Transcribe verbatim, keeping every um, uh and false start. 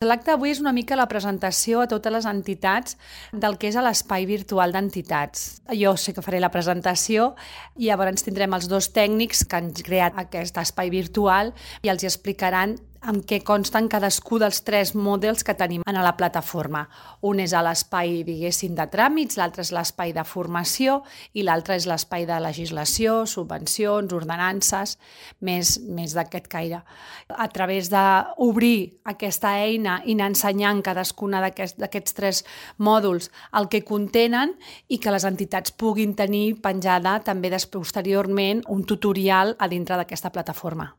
L'acte d'avui és una mica la presentació a totes les entitats del que és l'espai virtual d'entitats. Jo sé que faré la presentació i llavors tindrem els dos tècnics que han creat aquest espai virtual i els explicaran en què consten cadascú dels tres models que tenim a la plataforma. Un és l'espai, diguéssim, de tràmits, l'altre és l'espai de formació i l'altre és l'espai de legislació, subvencions, ordenances, més, més d'aquest caire. A través d'obrir aquesta eina i anar ensenyant cadascuna d'aquests tres mòduls el que contenen i que les entitats puguin tenir penjada també posteriorment un tutorial a dintre d'aquesta plataforma.